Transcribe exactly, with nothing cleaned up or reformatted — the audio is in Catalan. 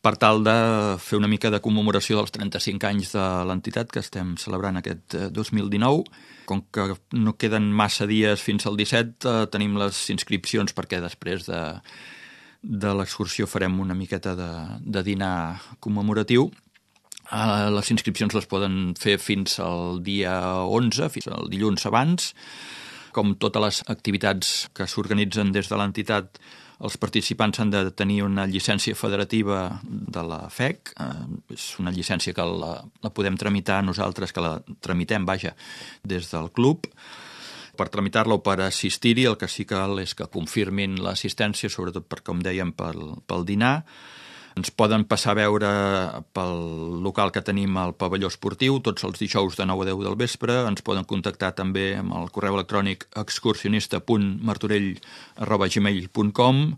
per tal de fer una mica de commemoració dels trenta-cinc anys de l'entitat que estem celebrant aquest dos mil dinou. Com que no queden massa dies fins al disset, eh, tenim les inscripcions perquè després de, de l'excursió farem una miqueta de, de dinar commemoratiu. Eh, les inscripcions les poden fer fins al dia onze, fins al dilluns abans. Com totes les activitats que s'organitzen des de l'entitat, els participants han de tenir una llicència federativa de la F E C. Eh, és una llicència que la, la podem tramitar nosaltres, que la tramitem, vaja, des del club. Per tramitar-la o per assistir-hi, el que sí que cal és que confirmin l'assistència, sobretot per, com dèiem, pel, pel dinar. Ens poden passar a veure pel local que tenim al pavelló esportiu, tots els dijous de nou a deu del vespre. Ens poden contactar també amb el correu electrònic excursionista punt martorell arroba gmail punt com